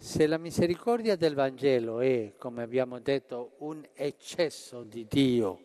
Se la misericordia del Vangelo è, come abbiamo detto, un eccesso di Dio,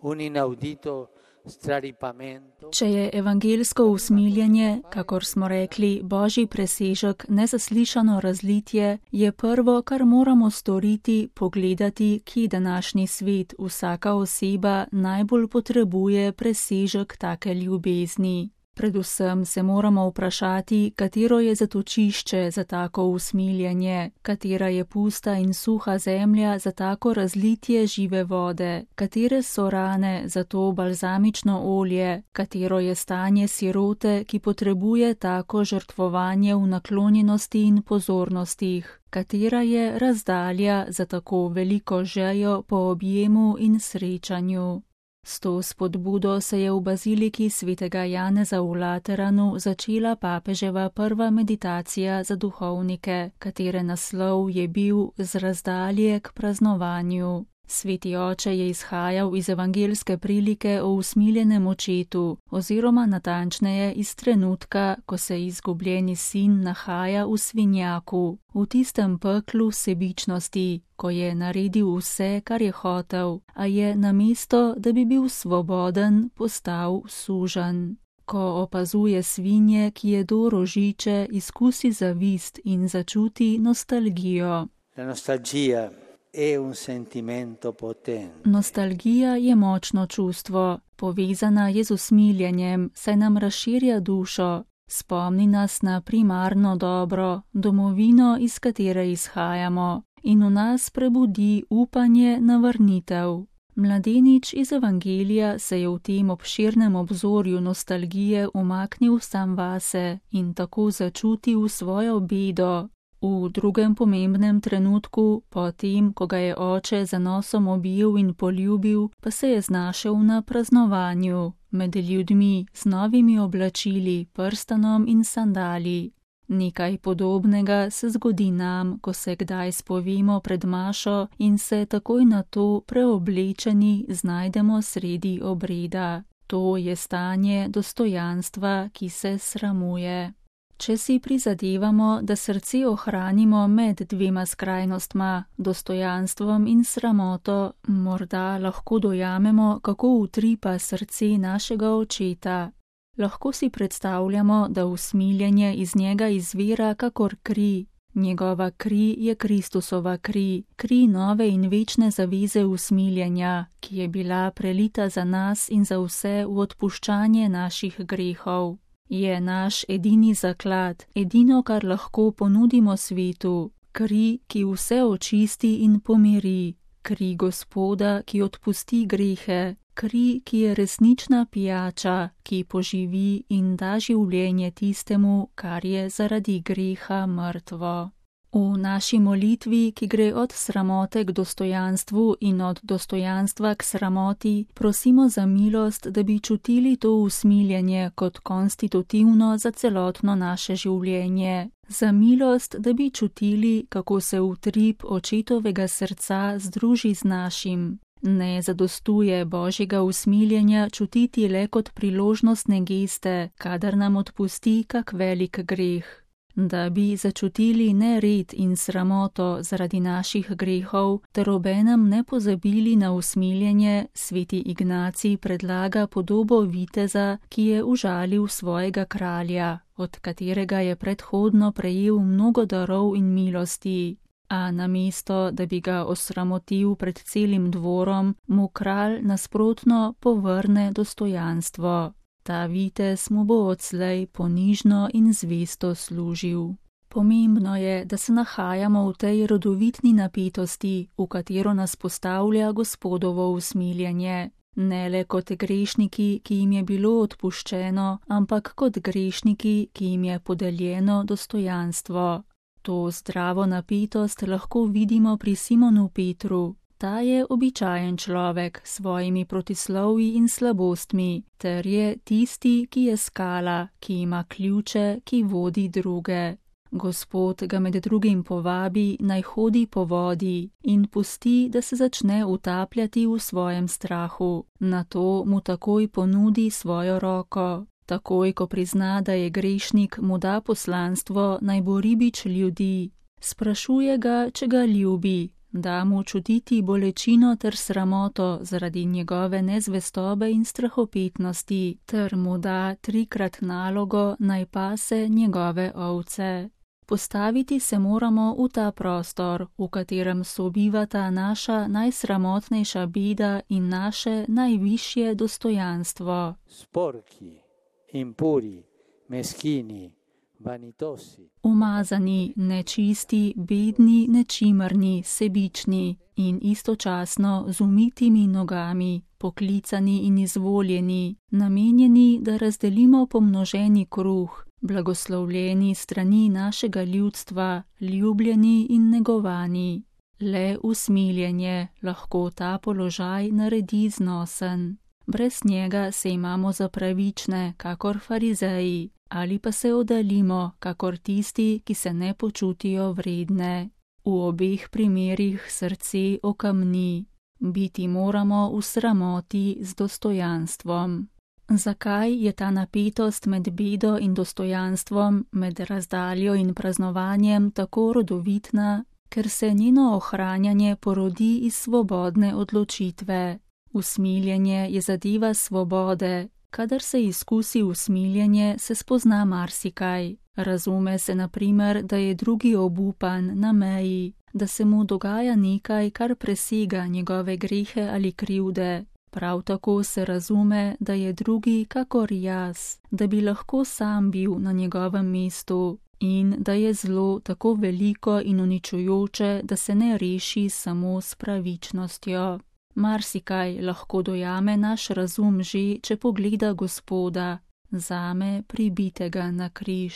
un inaudito straripamento, Če je evangelsko usmiljenje, kakor smo rekli, božji presežek, nezaslišano razlitje, je prvo, kar moramo storiti, pogledati, kje današnji svet, vsaka oseba najbolj potrebuje presežek take ljubezni. Predvsem se moramo vprašati, katero je zatočišče za tako usmiljenje, katera je pusta in suha zemlja za tako razlitje žive vode, katere so rane za to balzamično olje, katero je stanje sirote, ki potrebuje tako žrtvovanje v naklonjenosti in pozornostih, katera je razdalja za tako veliko željo po objemu in srečanju. S to spodbudo se je v baziliki svetega Janeza v Lateranu začela papeževa prva meditacija za duhovnike, katere naslov je bil Z razdalje k praznovanju. Sveti oče je izhajal iz evangelske prilike o usmiljenem očetu, oziroma natančneje iz trenutka, ko se izgubljeni sin nahaja v svinjaku, v tistem peklu sebičnosti, ko je naredil vse, kar je hotel, a je namesto, da bi bil svoboden, postal suženj. Ko opazuje svinje, ki jedo rožiče, izkusi zavist in začuti nostalgijo. La nostalgia è un sentimento potente. Nostalgija je močno čustvo, povezana je z usmiljenjem, saj nam razširja dušo, spomni nas na primarno dobro, domovino, iz katere izhajamo, in v nas prebudi upanje na vrnitev. Mladenič iz evangelija se je v tem obširnem obzorju nostalgije umaknil sam vase in tako začutil svojo bedo. V drugem pomembnem trenutku, potem, ko ga je oče za nosom objel in poljubil, pa se je znašel na praznovanju, med ljudmi, z novimi oblačili, prstanom in sandali. Nekaj podobnega se zgodi nam, ko se kdaj spovemo pred mašo in se takoj na to preoblečeni znajdemo sredi obreda. To je stanje dostojanstva, ki se sramuje. Če si prizadevamo, da srce ohranimo med dvema skrajnostma, dostojanstvom in sramoto, morda lahko dojamemo, kako utripa srce našega očeta. Lahko si predstavljamo, da usmiljenje iz njega izvira kakor kri. Njegova kri je Kristusova kri, kri nove in večne zaveze usmiljenja, ki je bila prelita za nas in za vse v odpuščanje naših grehov. Je naš edini zaklad, edino, kar lahko ponudimo svetu, kri, ki vse očisti in pomiri, kri Gospoda, ki odpusti grehe, kri, ki je resnična pijača, ki poživi in da življenje tistemu, kar je zaradi greha mrtvo. V naši molitvi, ki gre od sramote k dostojanstvu in od dostojanstva k sramoti, prosimo za milost, da bi čutili to usmiljenje kot konstitutivno za celotno naše življenje. Za milost, da bi čutili, kako se utrip očetovega srca združi z našim. Ne zadostuje božjega usmiljenja čutiti le kot priložnostne geste, kadar nam odpusti kak velik greh. Da bi začutili nered in sramoto zaradi naših grehov, ter obenem ne pozabili na usmiljenje, sveti Ignacij predlaga podobo viteza, ki je užalil svojega kralja, od katerega je predhodno prejel mnogo darov in milosti. A namesto, da bi ga osramotil pred celim dvorom, mu kralj nasprotno povrne dostojanstvo. Ta vitez mu bo odslej ponižno in zvesto služil. Pomembno je, da se nahajamo v tej rodovitni napetosti, v katero nas postavlja Gospodovo usmiljenje. Ne le kot grešniki, ki jim je bilo odpuščeno, ampak kot grešniki, ki jim je podeljeno dostojanstvo. To zdravo napetost lahko vidimo pri Simonu Petru. Ta je običajen človek s svojimi protislovji in slabostmi, ter je tisti, ki je skala, ki ima ključe, ki vodi druge. Gospod ga med drugim povabi, naj hodi po vodi in pusti, da se začne utapljati v svojem strahu. Nato mu takoj ponudi svojo roko. Takoj, ko prizna, da je grešnik, mu da poslanstvo, naj bo ribič ljudi. Sprašuje ga, če ga ljubi, da mu čutiti bolečino ter sramoto zaradi njegove nezvestobe in strahopetnosti, ter mu da 3-krat nalogo, naj pase njegove ovce. Postaviti se moramo v ta prostor, v katerem sobivata naša najsramotnejša beda in naše najvišje dostojanstvo. Sporchi, impuri, meschini, vanitosi. Umazani, nečisti, bedni, nečimrni, sebični in istočasno z umitimi nogami, poklicani in izvoljeni, namenjeni, da razdelimo pomnoženi kruh, blagoslovljeni strani našega ljudstva, ljubljeni in negovani. Le usmiljenje lahko ta položaj naredi znosen. Brez njega se imamo za pravične, kakor farizeji, ali pa se oddaljimo, kakor tisti, ki se ne počutijo vredne. V obeh primerih srce okamni. Biti moramo v sramoti z dostojanstvom. Zakaj je ta napetost med bedo in dostojanstvom, med razdaljo in praznovanjem tako rodovitna? Ker se njeno ohranjanje porodi iz svobodne odločitve. Usmiljenje je zadeva svobode. Kadar se izkusi usmiljenje, se spozna marsikaj. Razume se na primer, da je drugi obupan, na meji, da se mu dogaja nekaj, kar presega njegove grehe ali krivde. Prav tako se razume, da je drugi kakor jaz, da bi lahko sam bil na njegovem mestu in da je zlo tako veliko in uničujoče, da se ne reši samo s pravičnostjo. Marsikaj lahko dojame naš razum že, če pogleda Gospoda, zame pribitega na križ.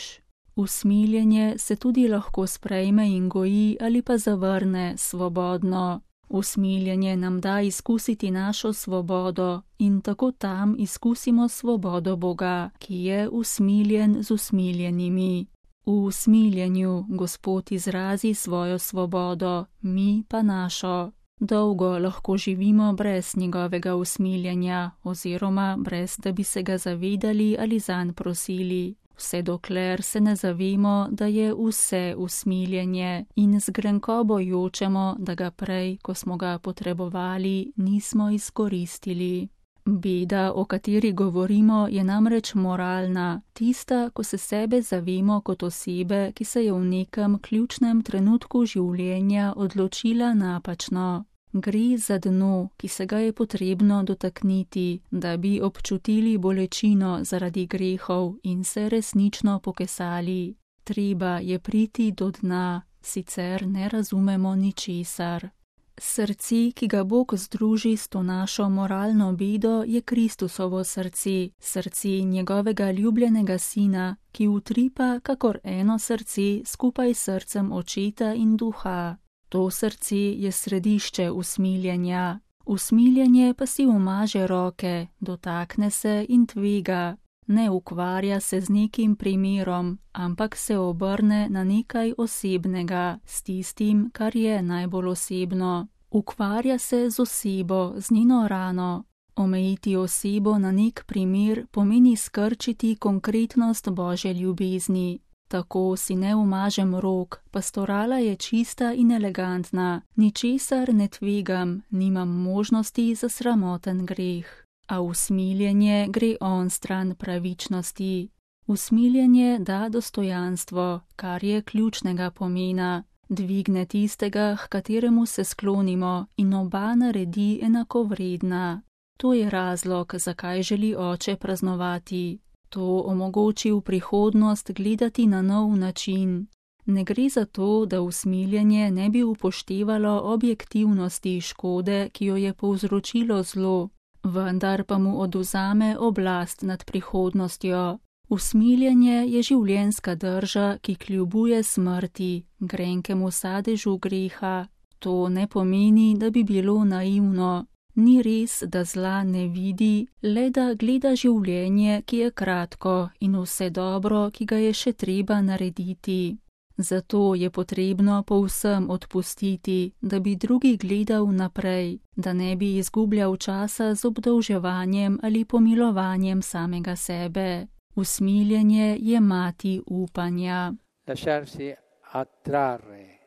Usmiljenje se tudi lahko sprejme in goji ali pa zavrne svobodno. Usmiljenje nam da izkusiti našo svobodo in tako tam izkusimo svobodo Boga, ki je usmiljen z usmiljenimi. V usmiljenju Gospod izrazi svojo svobodo, mi pa našo. Dolgo lahko živimo brez njegovega usmiljenja oziroma brez, da bi se ga zavedali ali zanj prosili. Vse dokler se ne zavemo, da je vse usmiljenje in z grenkobo jočemo, da ga prej, ko smo ga potrebovali, nismo izkoristili. Beda, o kateri govorimo, je namreč moralna, tista, ko se sebe zavemo kot osebe, ki se je v nekem ključnem trenutku življenja odločila napačno. Gre za dno, ki se ga je potrebno dotakniti, da bi občutili bolečino zaradi grehov in se resnično pokesali. Treba je priti do dna, sicer ne razumemo ničesar. Srce, ki ga Bog združi s to našo moralno bedo, je Kristusovo srce, srce njegovega ljubljenega sina, ki utripa kakor eno srce skupaj s srcem očeta in duha. To srce je središče usmiljenja. Usmiljenje pa si umaže roke, dotakne se in tvega. Ne ukvarja se z nekim primerom, ampak se obrne na nekaj osebnega, s tistim, kar je najbolj osebno. Ukvarja se z osebo, z njeno rano. Omejiti osebo na nek primer pomeni skrčiti konkretnost Božje ljubezni. Tako si ne umažem rok, pastorala je čista in elegantna, ničesar ne tvegam, nimam možnosti za sramoten greh. A usmiljenje gre onstran pravičnosti. Usmiljenje da dostojanstvo, kar je ključnega pomena, dvigne tistega, h kateremu se sklonimo in oba naredi enakovredna. To je razlog, zakaj želi oče praznovati. To omogoči v prihodnost gledati na nov način. Ne gre za to, da usmiljenje ne bi upoštevalo objektivnosti škode, ki jo je povzročilo zlo, vendar pa mu odvzame oblast nad prihodnostjo. Usmiljenje je življenjska drža, ki kljubuje smrti, grenkemu sadežu greha. To ne pomeni, da bi bilo naivno. Ni res, da zla ne vidi, le da gleda življenje, ki je kratko in vse dobro, ki ga je še treba narediti. Zato je potrebno povsem odpustiti, da bi drugi gledal naprej, da ne bi izgubljal časa z obdolževanjem ali pomilovanjem samega sebe. Usmiljenje je mati upanja. Lasciarsi attrarre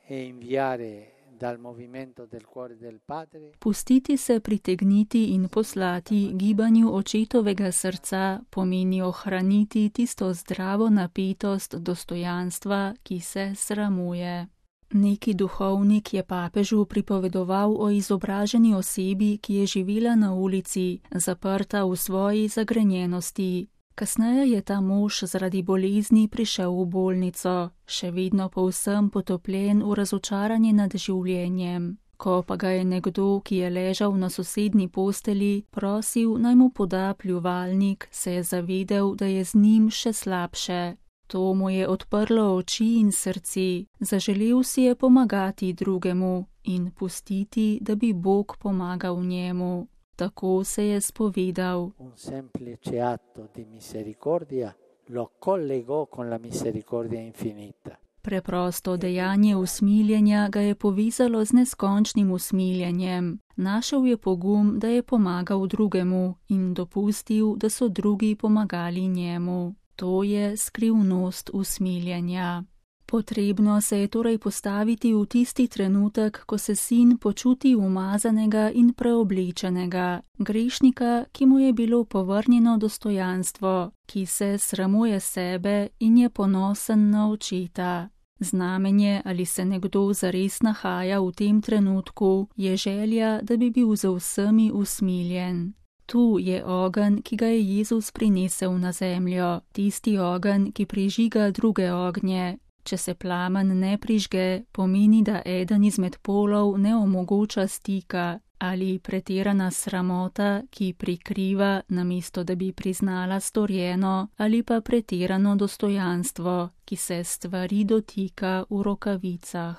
e inviare dal movimento del cuore del Padre. Pustiti se pritegniti in poslati gibanju očetovega srca pomeni ohraniti tisto zdravo napetost dostojanstva, ki se sramuje. Neki duhovnik je papežu pripovedoval o izobraženi osebi, ki je živela na ulici, zaprta v svoji zagrenjenosti. Kasneje je ta mož zaradi bolezni prišel v bolnico, še vedno povsem potopljen v razočaranje nad življenjem. Ko pa ga je nekdo, ki je ležal na sosednji posteli, prosil, naj mu poda pljuvalnik, se je zavedel, da je z njim še slabše. To mu je odprlo oči in srce, zaželel si je pomagati drugemu in pustiti, da bi Bog pomagal njemu. Tako se je spovedal. Un semplice atto di misericordia lo collegò con la misericordia infinita. Preprosto dejanje usmiljenja ga je povezalo z neskončnim usmiljenjem. Našel je pogum, da je pomagal drugemu in dopustil, da so drugi pomagali njemu. To je skrivnost usmiljenja. Potrebno se je torej postaviti v tisti trenutek, ko se sin počuti umazanega in preoblečenega, grešnika, ki mu je bilo povrnjeno dostojanstvo, ki se sramuje sebe in je ponosen na očeta. Znamenje, ali se nekdo zares nahaja v tem trenutku, je želja, da bi bil z vsemi usmiljen. Tu je ogenj, ki ga je Jezus prinesel na zemljo, tisti ogenj, ki prižiga druge ognje. Če se plamen ne prižge, pomeni, da eden izmed polov ne omogoča stika ali pretirana sramota, ki prikriva, namesto da bi priznala storjeno, ali pa pretirano dostojanstvo, ki se stvari dotika v rokavicah.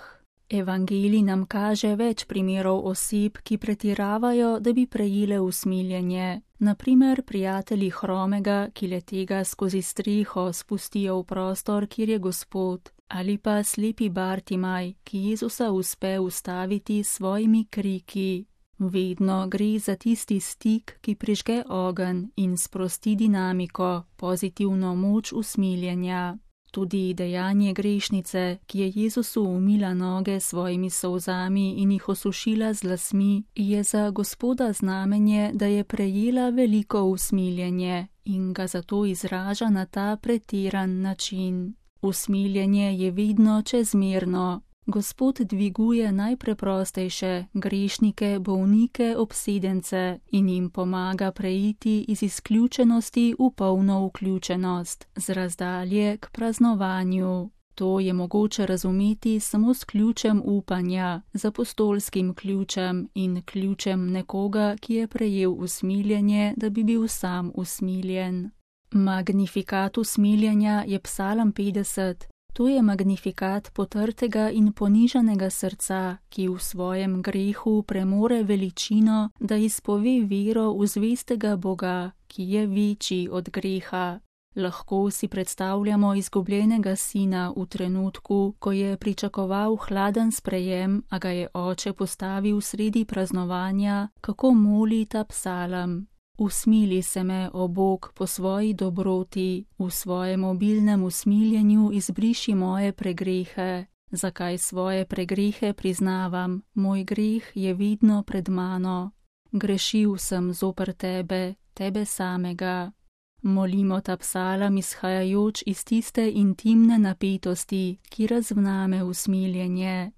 Evangelij nam kaže več primerov oseb, ki pretiravajo, da bi prejele usmiljenje. Naprimer, prijatelji hromega, ki le tega skozi streho spustijo v prostor, kjer je Gospod, ali pa slepi Bartimaj, ki Jezusa uspe ustaviti s svojimi kriki. Vedno gre za tisti stik, ki prižge ogenj in sprosti dinamiko, pozitivno moč usmiljenja. Tudi dejanje grešnice, ki je Jezusu umila noge s svojimi solzami in jih osušila z lasmi, je za Gospoda znamenje, da je prejela veliko usmiljenje in ga zato izraža na ta pretiran način. Usmiljenje je vedno čezmerno. Gospod dviguje najpreprostejše, grešnike, bolnike, obsedence in jim pomaga preiti iz izključenosti v polno vključenost, z razdalje k praznovanju. To je mogoče razumeti samo s ključem upanja, z apostolskim ključem in ključem nekoga, ki je prejel usmiljenje, da bi bil sam usmiljen. Magnifikat usmiljenja je Psalm 50. To je magnifikat potrtega in ponižanega srca, ki v svojem grehu premore veličino, da izpove vero v zvestega Boga, ki je večji od greha. Lahko si predstavljamo izgubljenega sina v trenutku, ko je pričakoval hladen sprejem, a ga je oče postavil sredi praznovanja, kako moli ta psalm. Usmili se me, o Bog, po svoji dobroti, v svojem obilnem usmiljenju izbriši moje pregrehe. Zakaj svoje pregrehe priznavam? Moj greh je vidno pred mano. Grešil sem zoper tebe, tebe samega. Molimo ta psalm izhajajoč iz tiste intimne napetosti, ki razvname usmiljenje.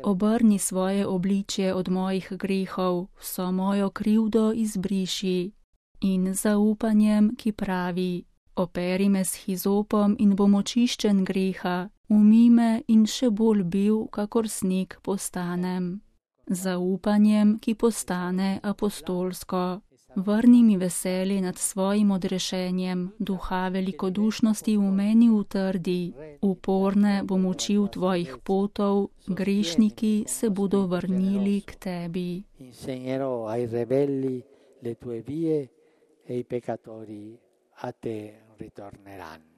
Obrni svoje obličje od mojih grehov, vso mojo krivdo izbriši. In zaupanjem, ki pravi, operi me s hizopom in bom očiščen greha, umij me in še bolj bil, kakor sneg postanem. Zaupanjem, ki postane apostolsko. Vrni mi veselje nad svojim odrešenjem, duha velikodušnosti v meni utrdi, uporne bom učil tvojih potov, grešniki se bodo vrnili k tebi. Insegnerò ai rebelli le tue vie e i peccatori a te ritorneranno.